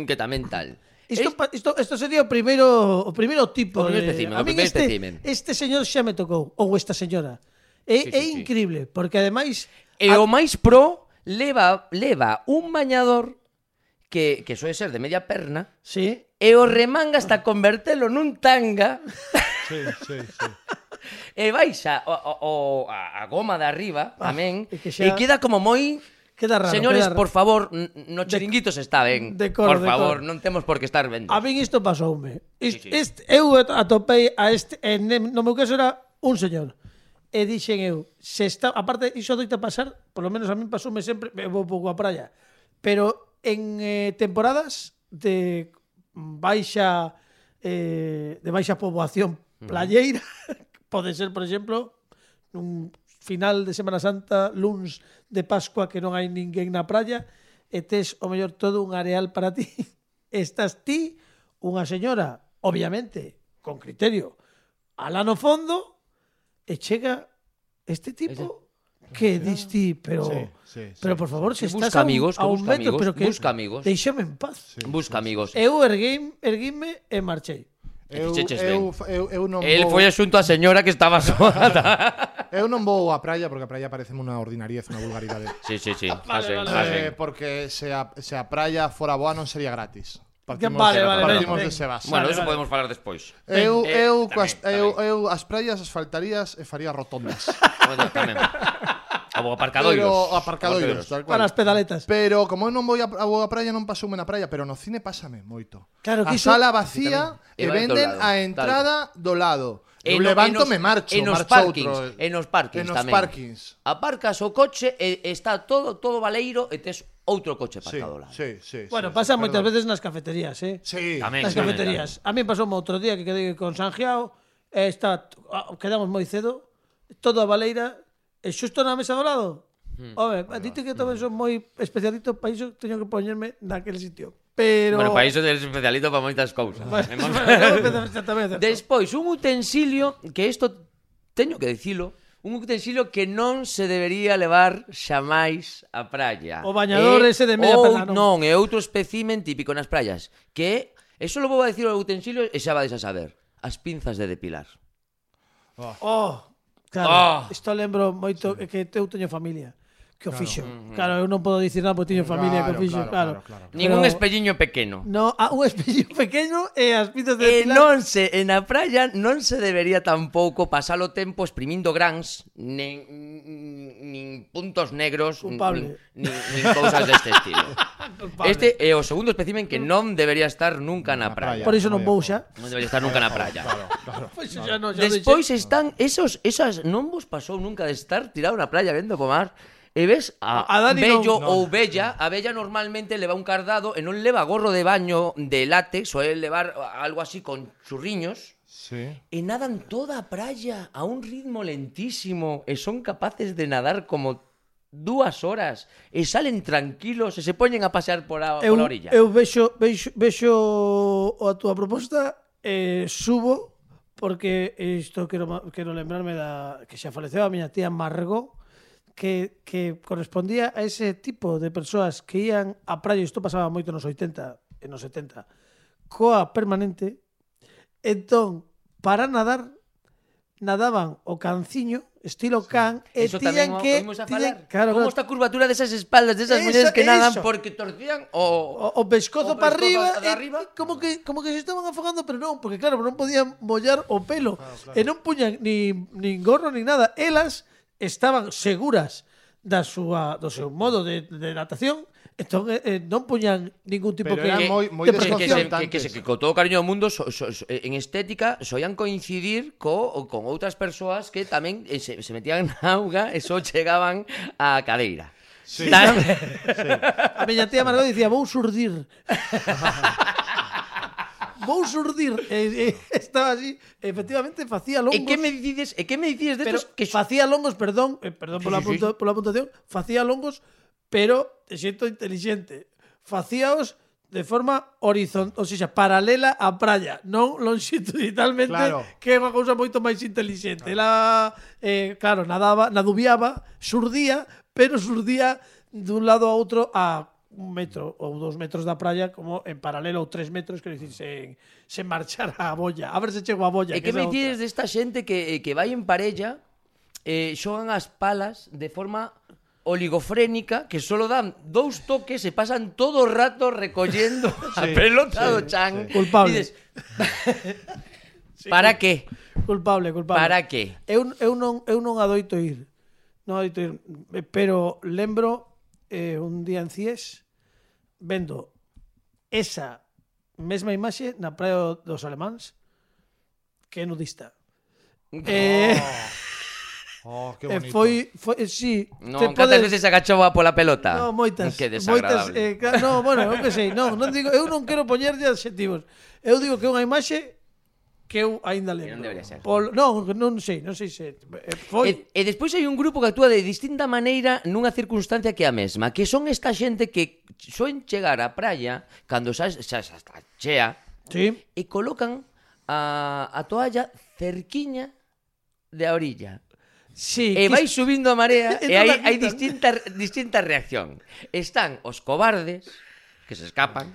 que tamén tal. Isto sería o primeiro tipo. O primeiro espécimen, A min espécimen. este señor xa me tocou, ou esta señora. É sí. increíble, porque ademais E o máis pro leva un bañador que soe ser de media perna sí, e o remanga hasta convertelo nun tanga Sí. e baixa a goma de arriba tamén e que xa- e queda como moi... queda raro. Señores, queda raro. por favor, no chiringuito se está ben. Decoro, Por favor, decoro. non temos por que estar vendo. A min isto pasoume. Sí. Eu atopei a este, no meu caso era un señor. E dixen eu, se está, aparte iso doita pasar, por lo menos a min pasoume sempre, eu vou pouco a praia, pero en temporadas de baixa poboación playeira, pode ser, por exemplo, nun final de Semana Santa, luns de Pascua que non hai ninguén na praia e tes o mellor todo un areal para ti. Estás ti, unha señora, obviamente, con criterio, alá no fondo e chega este tipo que dis ti, pero por favor, se estás busca amigos, a un metro, amigos, pero que busca amigos. Deixame en paz. Busca amigos. Eu erguime e marchei. Eu non El vou, foi xunto a señora que estaba sola. eu non vou á praia porque a praia pareceme unha ordinariez, unha vulgaridade. Sí. Vale. Porque se a praia fora boa non sería gratis. Partimos, Vale, partimos ben. de ese base. Bueno, Vale, eso vale. podemos falar despois. Eu tamén. as praias asfaltarías e faría rotondas. Bueno, tamén. Ou aparcadoiros. Pero aparcadoiros, tal cual. Para as pedaletas. Pero como eu non vou a praia, non pasoume na praia, pero no cine pásame moito. Claro que A iso- sala vacía Sí, e tamén. E vai venden do lado, a entrada do lado. Eu no- levanto, nos- me marcho, en nos marcho parkings, outro. en nos parkings En nos tamén. parkings. Aparcas o coche e está todo baleiro e tes outro coche aparcado ao lado. Sí. Bueno, pasa moitas veces nas cafeterías, Sí. Tamén, nas sí, cafeterías. A mí pasou outro día que quedei con Sanjiao, quedamos moi cedo, todo a baleira, e xusto na mesa do lado. Home, dite que tamén son moi especialito para iso, teño que poñerme naquele sitio. Pero... Bueno, para iso eres especialito para moitas cousas. Exactamente. Despois, un utensilio que isto teño que dicilo, un utensilio que non se debería levar xamais á praia. O bañador ese de media perna, non, é outro espécimen típico nas praias, que eso lo vou a dicir o utensilio e xa vades a saber. As pinzas de depilar. Claro, isto lembro moito que eu teño familia que o fixo. Claro, eu non podo dicir nada porque teño familia que o fixo, claro. Ningún espelliño pequeno. No, un espello pequeno e as pinzas de E depilar. na praia non se debería tampouco pasar o tempo exprimindo grans, nin puntos negros, Culpable. nin cousas deste estilo. Este é o segundo espécimen que non debería estar nunca na praia. Por iso non vou xa. Non debería estar nunca na praia. Pois xa non, Despois están esas non vos pasou nunca de estar tirado na praia vendo pomar e ves a Dani vello non. ou vella. A vella normalmente leva un cardado e non leva gorro de baño de látex, ou levar algo así con churriños. Sí. E nadan toda a praia a un ritmo lentísimo e son capaces de nadar como 2 horas e salen tranquilos e se poñen a pasear pola orilla. Eu vexo a túa proposta subo porque isto quero lembrarme que xa faleceu a miña tía Margot que correspondía a ese tipo de persoas que ían á praia, isto pasaba moito nos 80 e nos 70 coa permanente. Entón, para nadar nadaban o canciño estilo can e Eso tiñan tamén que oímos a falar. claro, Como esta curvatura desas espaldas desas mulleres que nadan porque torcían o pescozo para arriba, de arriba. Como que se estaban afogando, pero non, porque claro, non podían mollar o pelo. E non puñan nin gorro ni nada. Elas estaban seguras do seu modo de natación, entón non puñan ningún tipo Pero de eran moi de precaución. Que con todo o cariño do mundo en estética soían coincidir con outras persoas que tamén se metían na auga e só chegaban á cadeira. Sí. A miña tía Margot dicía, vou surdir. Vou surdir. Estaba así, efectivamente facía longos. E que me dices destos que facía longos, perdón pola puntuación, facía longos, pero de xeito inteligente. Facíaos de forma horizontal, ou seja, paralela á praia, non longitudinalmente, claro, que é unha cousa moito máis inteligente. Ela, claro, nadubiaba, surdía, pero surdía dun lado a outro a 1 metro ou 2 metros da praia, como en paralelo, ou 3 metros, quero dicir, sen marchar a bolla. A ver se chego a bolla. E que me dices desta xente que vai en parella, xogan as palas de forma oligofrénica, que solo dan 2 toques e pasan todo o rato recollendo a pelota do chan. Culpable. Dices, para que? Culpable. Para que? Eu non adoito ir. Non adoito ir, pero lembro un día en Cies vendo esa mesma imaxe na praia dos Alemáns, que é nudista. Que bonito. Foi sí. Non, cantas veces agachaba pola pelota? No, moitas. Que desagradable. No, bueno, eu que sei, non digo, eu non quero poñerlle adxetivos. Eu digo que é unha imaxe que eu aínda lembro. Non debería ser. Non sei se foi. E despois hai un grupo que actúa de distinta maneira nunha circunstancia que a mesma, que son esta xente que soen chegar á praia cando xa está chea, Sí. e colocan a toalla cerquiña de a orilla. Sí, E vai subindo a marea e non la hai quitan. distinta reacción. Están os cobardes que se escapan.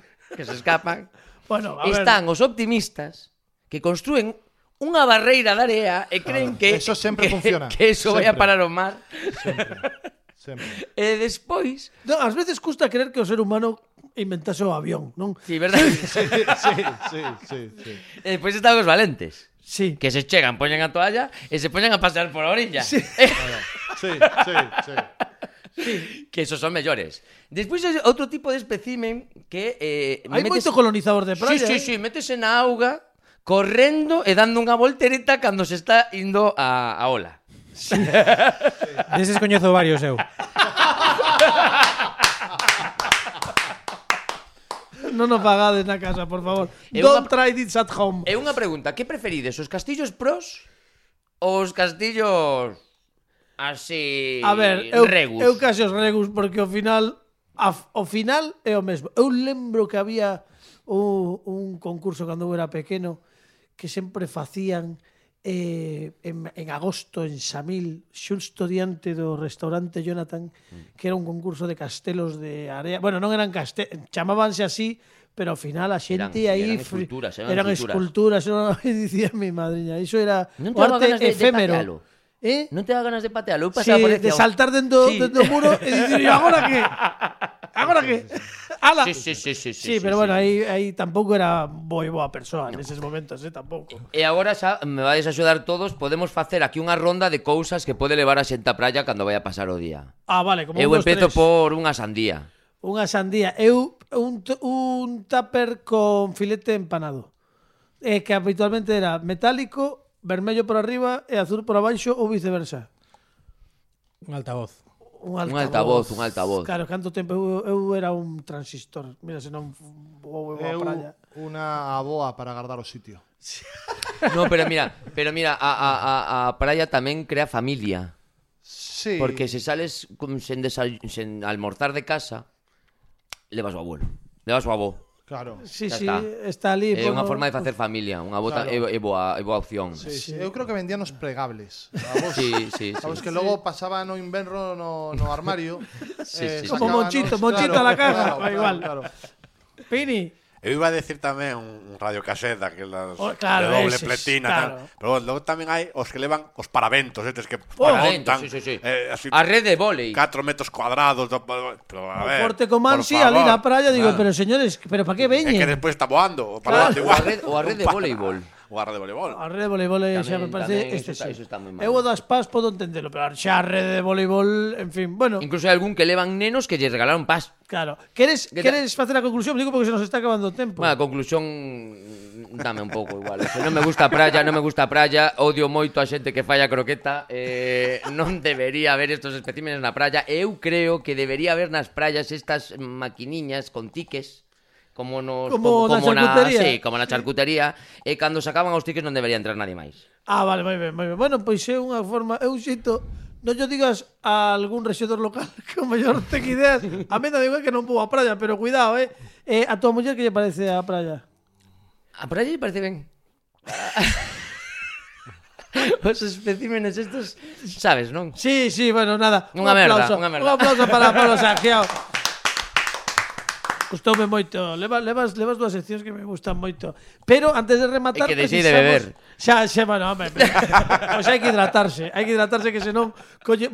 Bueno, a ver. Están os optimistas que construen unha barreira de area e creen que eso sempre funciona. Que eso vai a Sempre. parar ao mar. Sempre. E despois, No, ás veces custa creer que o ser humano inventase o avión, non? sí, verdade. Sí. E despois están os valentes, Sí. que se chegan, poñen a toalla e se poñen a pasear por a orilla. Sí. Sí. Que esos son mellores. Despois hai outro tipo de espécimen que Hai moito colonizador de praia. Sí, métese na auga correndo e dando unha voltereta cando se está indo a ola. Deses coñezo varios eu. Non o fagades na casa, por favor. Don't try this at home. É unha pregunta, que preferides, os castillos pros ou os castillos así A ver, regus? eu case os regus porque ao final é o mesmo. Eu lembro que había un concurso cando eu era pequeno que sempre facían en agosto en Samil, xusto diante do restaurante Jonathan, que era un concurso de castelos de area. Bueno, non eran castelos, chamábanse así, pero ao final a xente aí eran esculturas, dicía mi madriña, iso era non o arte efémero. Non te dá ganas de patealo? Sí, de saltar dentro do muro e dicir, agora que? Agora que? Ala. Sí, pero bueno, aí tampouco era boa persoa neses momentos, tampouco. E agora xa me vais a axudar todos, podemos facer aquí unha ronda de cousas que pode levar a xente á praia cando vai a pasar o día. Vale, como eu empezo por unha sandía. Unha sandía. Eu un tupper con filete empanado. Que habitualmente era metálico, vermello por arriba e azul por abaixo ou viceversa. Un altavoz. Un altavoz. Claro, canto tempo eu era un transistor. Mira, se non vou a praia. Unha aboa para agardar o sitio. No, pero mira, a praia tamén crea familia. Sí. Porque se sales sen almorzar de casa, levas o abuelo, levas o avó. Claro. Sí, está ali. É unha forma de facer familia, unha bota é boa opción. Sí. Eu creo que vendían os plegables. Sí. Sabes que logo pasaba no inverno no armario. Como Monchito a la caja. Igual. Pini. Eu iba a decir tamén un radiocaseta que las claro, de doble pletina, claro. Pero logo tamén hai os que levan os paraventos, estes que montan así, a rede de vólei 4 metros cuadrados, pero a ver, Forte Comansi ali na praia, digo, pero señores, pero para que veñen? É que despois está voando, o a rede de voleibol. O a rede de voleibol. A rede de voleibol xa me parece eso está moi mal. Eu o das pás podo entendelo, pero xa a rede de voleibol, en fin, bueno. Incluso hai algún que levan nenos que lle regalaron pás. Claro. Queres facer a conclusión? Digo porque se nos está acabando o tempo. Bueno, a conclusión dame un pouco igual. Se non me gusta a praia, odio moito a xente que falla croqueta, non debería haber estos especímenes na praia. Eu creo que debería haber nas praias estas maquiniñas con tiques. Como na charcutería, e cando sacaban os tiques non debería entrar nadie máis. Vale, moi ben. Bueno, pois é unha forma, é un xito, non yo digas a algún rexedor local que o mellor ten ideas. A mí non digo que non vou á praia, pero cuidado, a tua muller que lle parece a praia? A praia lle parece ben. Os especímenes estos, sabes, non? Sí, bueno, nada. Unha merda. Un aplauso para Pablo Sangiao. Gustoume moito. Levas dúas seccións que me gustan moito. Pero antes de rematar, que deixei de beber. Xa, bueno, home. Pois hai que hidratarse que senón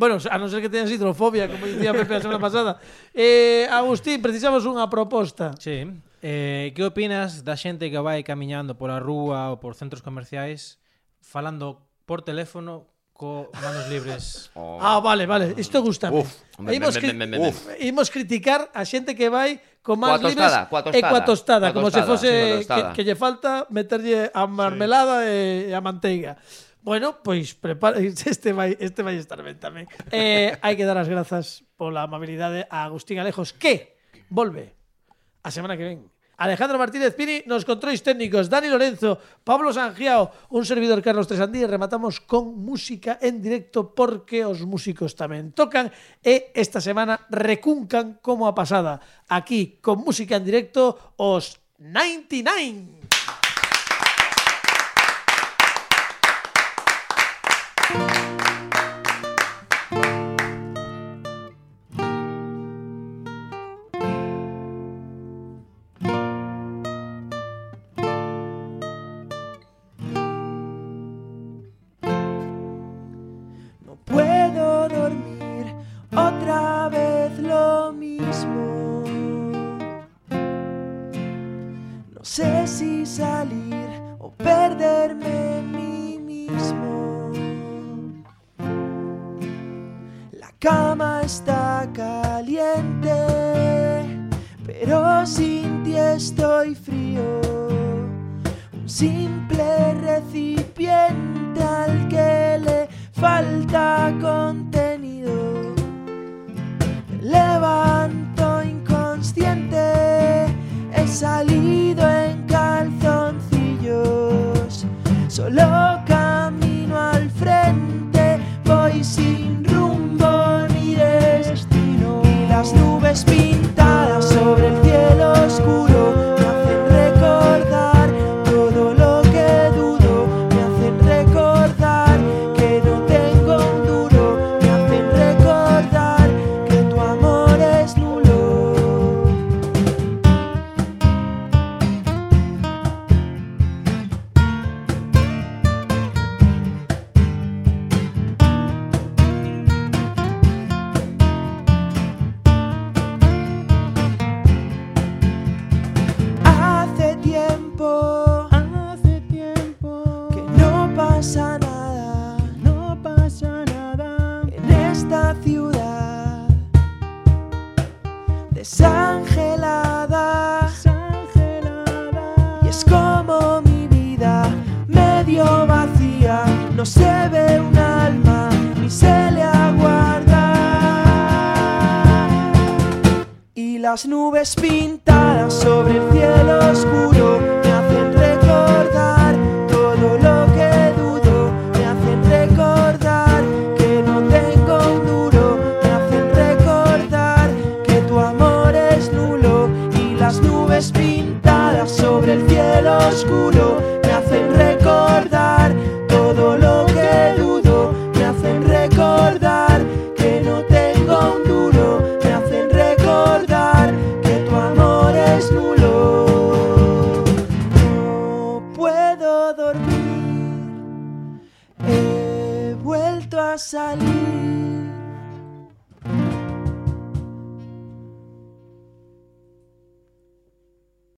bueno, a non ser que teñas hidrofobia, como dicía Pepe a semana pasada. Agustín, precisamos unha proposta. Sí. Que opinas da xente que vai camiñando pola rúa ou por centros comerciais falando por teléfono co manos libres? Vale. Isto gusta. Imos criticar a xente que vai con manos libres e coa tostada, como se fose que lle falta meterlle a marmelada e a manteiga. Bueno, pois este vai estar ben tamén. Hai que dar as grazas pola amabilidade a Agustín Alejos, que volve a semana que ven. Alejandro Martínez Pini nos controis técnicos, Dani Lorenzo, Pablo Sangiao, un servidor Carlos Tresandí, e rematamos con música en directo porque os músicos tamén tocan e esta semana recuncan como a pasada. Aquí, con música en directo, os 99. sé si salir o perderme en mí mismo. La cama está caliente, pero sin ti estoy frío. Un simple recipiente al que le falta contenido. Me levanto inconsciente, esa se ve un alma ni se le aguarda. Y las nubes pintadas sobre el cielo oscuro me hacen recordar todo lo que dudo, me hacen recordar que no tengo un duro, me hacen recordar que tu amor es nulo. Y las nubes pintadas sobre el cielo oscuro me hacen recordar todo lo que dudo, me hacen recordar que no tengo un duro, me hacen recordar que tu amor es nulo. No puedo dormir, he vuelto a salir.